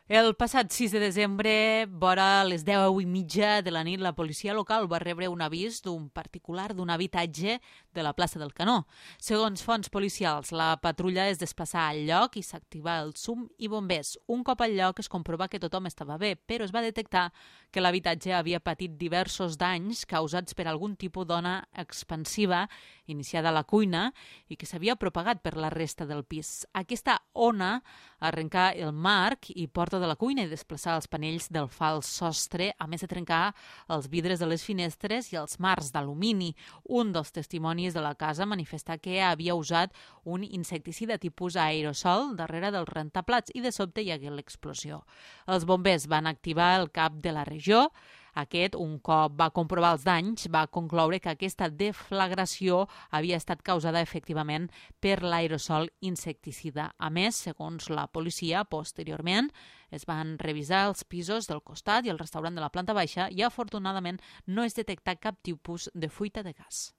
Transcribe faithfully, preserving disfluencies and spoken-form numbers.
El passat sis de desembre, vora les deu i mitja de la nit, la policia local va rebre un avís d'un particular d'un habitatge de la plaça del Canó. Segons fonts policials, la patrulla es desplaçà al lloc i s'activa el SUM i bombers. Un cop al lloc es comprova que tothom estava bé, però es va detectar que l'habitatge havia patit diversos danys causats per algun tipus d'ona expansiva iniciada a la cuina i que s'havia propagat per la resta del pis. Aquesta ona arrencà el marc i porta de la cuina i desplaçar els panells del fals sostre, a més de trencar els vidres de les finestres i els marcs d'alumini. Un dels testimonis de la casa manifesta que havia usat un insecticida tipus aerosol darrere del rentaplats i de sobte hi hagué l'explosió. Els bombers van activar el cap de la regió. Aquest, un cop va comprovar els danys, va concloure que aquesta deflagració havia estat causada efectivament per l'aerosol insecticida. A més, segons la policia, posteriorment es van revisar els pisos del costat i el restaurant de la planta baixa i afortunadament no es detectà cap tipus de fuita de gas.